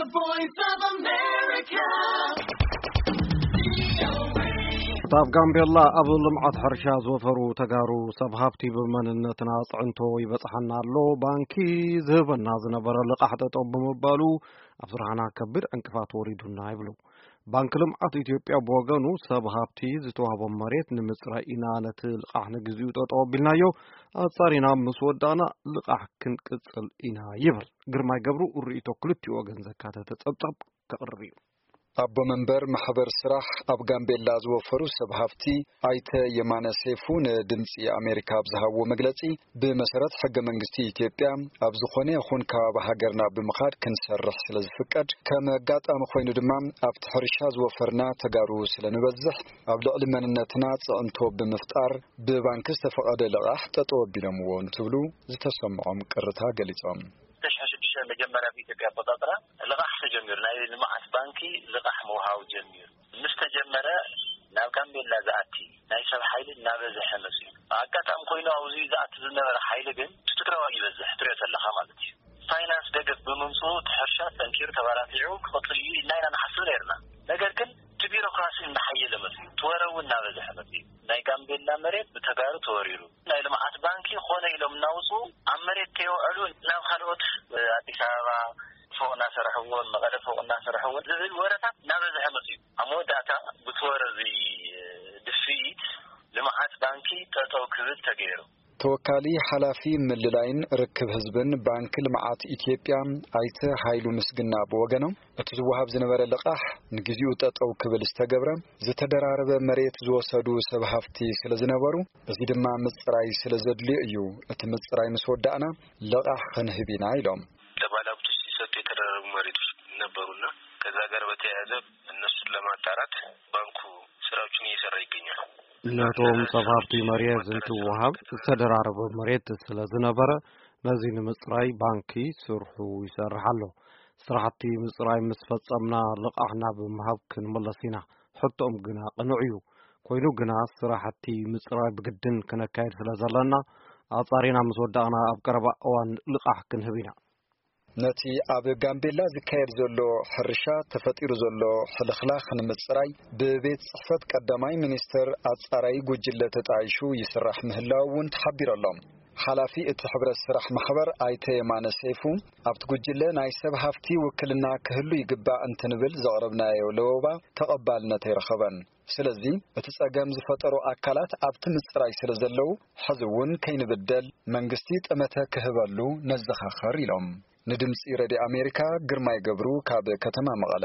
Voice of America. ኣብ ጋምቤላ ኣብ ልምዓት ሕርሻ ዝወፈሩ ተጋሩ ሰብ ሃብቲ ብመንነትና ኣጽዕንቶ ይበጽሓና ኣሎ፣ ባንኪ ዝህበና ዝነበረ ልቓሕ ጠጠው ብምባሉ ኣብ ስራሕና ከቢድ ዕንቅፋት ወሪዱና ይብሉ። ባንኪ ልምዓት ኢትዮጵያ ብወገኑ ሰብ ሃብቲ ዝተዋህቦም መሬት ንምፅራይ ኢና ነቲ ልቓሕ ንግዚኡ ጠጠው ኣቢልናዮ፣ ኣፃሪና ምስ ወዳእና ልቓሕ ክንቅፅል ኢና ይብል። ግርማይ ገብሩ ርእይቶ ክልቲኡ ወገን ዘካተተ ፀብፀብ ከቕርብ እዩ። ኣቦ መንበር ማሕበር ስራሕ ኣብ ጋምቤላ ዝወፈሩ ሰብ ሃፍቲ ኣይተ የማነ ሴፉ ንድምፂ ኣሜሪካ ኣብ ዝሃብዎ መግለፂ፣ ብመሰረት ሕገ መንግስቲ ኢትዮጵያ ኣብ ዝኾነ ይኹን ከባቢ ሃገርና ብምኻድ ክንሰርሕ ስለ ዝፍቀድ፣ ከም ኣጋጣሚ ኮይኑ ድማ ኣብቲ ሕርሻ ዝወፈርና ተጋሩ ስለ ንበዝሕ፣ ኣብ ልዕሊ መንነትና ፅዕንቶ ብምፍጣር ብባንኪ ዝተፈቐደ ልቓሕ ጠጠው ኣቢሎምዎ እንትብሉ ዝተሰምዖም ቅርታ ገሊፆም። ክልተ ሽሕን ሽዱሽተን መጀመርያ ብኢትዮጵያ ኣቆፃፅራ ልቓሕ ተጀሚሩ፣ ናይ ልምዓት ባንኪ ልቓሕ ምውሃብ ጀሚሩ ምስ ተጀመረ፣ ናብ ጋምቤላ ዝኣቲ ናይ ሰብ ሓይሊ እናበዝሐ መፅዩ። ኣጋጣሚ ኮይኑ ኣብዚ ዝኣቲ ዝነበረ ሓይሊ ግን እቲ ትግራዋይ ይበዝሕ ትሪኦ ዘለኻ ማለት እዩ። ፋይናንስ ደገፍ ብምምፅኡ እቲ ሕርሻ ጠንኪሩ ተባራቲዑ ክቕፅል እዩ ኢልና ኢና ንሓስብ ነይርና። ነገር ግን እቲ ቢሮክራሲ እናሓየለ መፅዩ፣ እቲ ወረ እውን እናበዝሐ መፅዩ። ናይ ጋምቤላ መሬት ብተጋሩ ተወሪሩ፣ ናይ ልምዓት ባንኪ ኮነ ኢሎም እናውፅኡ ኣብ መሬት ከይውዕሉ ናብ ካልኦት፣ ኣዲስ ኣበባ ፎቕ እናሰረሕዎ፣ መቐለ ፎቕ እናሰረሕዎ ዝብል ወረታት እናበዝሐ መፅዩ። ኣብ መወዳእታ ብቲ ወረ እዚ ድፍኢት ልምዓት ባንኪ ጠጠው ክብል ተገይሩ። ተወካሊ ሓላፊ ምልላይን ርክብ ህዝብን ባንኪ ልምዓት ኢትዮጵያ ኣይተ ሃይሉ ምስግና ብወገኖም፣ እቲ ዝወሃብ ዝነበረ ልቓሕ ንግዚኡ ጠጠው ክብል ዝተገብረ፣ ዝተደራረበ መሬት ዝወሰዱ ሰብ ሃፍቲ ስለ ዝነበሩ፣ እዚ ድማ ምፅራይ ስለ ዘድልዮ እዩ። እቲ ምፅራይ ምስ ወዳእና ልቓሕ ክንህብ ኢና ኢሎም። ለባላብቱ ሲሰጡ የተደረጉ መሬቶች ነበሩና ከዛ ጋር በተያያዘ እነሱን ለማጣራት ባንኩ ስራዎችን እየሰራ ይገኛል። ነቶም ሰብ ሃፍቲ መሬት እንትወሃብ ዝተደራረበ መሬት ስለ ዝነበረ፣ ነዚ ንምፅራይ ባንኪ ስርሑ ይሰርሕ ኣሎ። ስራሕቲ ምፅራይ ምስ ፈጸምና ልቓሕ ናብ ምሃብ ክንምለስ ኢና። ሕቶኦም ግና ቅኑዕ እዩ። ኮይኑ ግና ስራሕቲ ምፅራይ ብግድን ክነካየድ ስለ ዘለና፣ ኣፃሪና ምስ ወዳእና ኣብ ቀረባ እዋን ልቓሕ ክንህብ ኢና። ነቲ ኣብ ጋምቤላ ዝካየድ ዘሎ ሕርሻ ተፈጢሩ ዘሎ ሕልኽላኽ ንምፅራይ ብቤት ፅሕፈት ቀዳማይ ሚኒስትር ኣፃራዪ ጉጅለ ተጣይሹ ይስራሕ ምህላው እውን ተሓቢሩ ኣሎ። ሓላፊ እቲ ሕብረት ስራሕ ማሕበር ኣይተ የማነ ሰይፉ፣ ኣብቲ ጉጅለ ናይ ሰብ ሃፍቲ ውክልና ክህሉ ይግባእ እንትንብል ዘቕረብናዮ ለበዋ ተቐባልነት ኣይረኸበን። ስለዚ እቲ ጸገም ዝፈጠሩ ኣካላት ኣብቲ ምጽራይ ስለ ዘለዉ፣ ሕዚ እውን ከይንብደል መንግስቲ ጠመተ ክህበሉ ነዘኻኸር ኢሎም። ንድምጺ ረድዮ ኣሜሪካ ግርማይ ገብሩ ካብ ከተማ መቐለ።